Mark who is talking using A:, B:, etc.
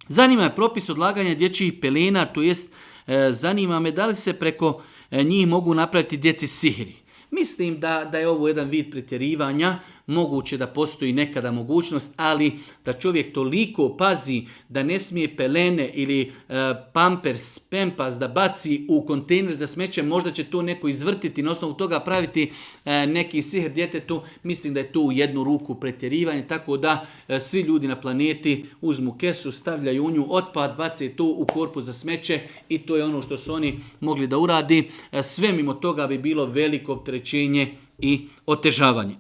A: Zanima je propis odlaganja dječjih pelena, to jest zanima me da li se preko njih mogu napraviti djeci sihiri. Mislim da je ovo jedan vid pretjerivanja, moguće da postoji nekada mogućnost, ali da čovjek toliko pazi da ne smije pelene ili pampers, pempas da baci u kontejner za smeće, možda će to neko izvrtiti, na osnovu toga praviti neki sihr djetetu, mislim da je to u jednu ruku pretjerivanje, tako da svi ljudi na planeti uzmu kesu, stavljaju u nju otpad, bace to u korpu za smeće i to je ono što su oni mogli da uradi. Sve mimo toga bi bilo veliko opterećenje i otežavanje.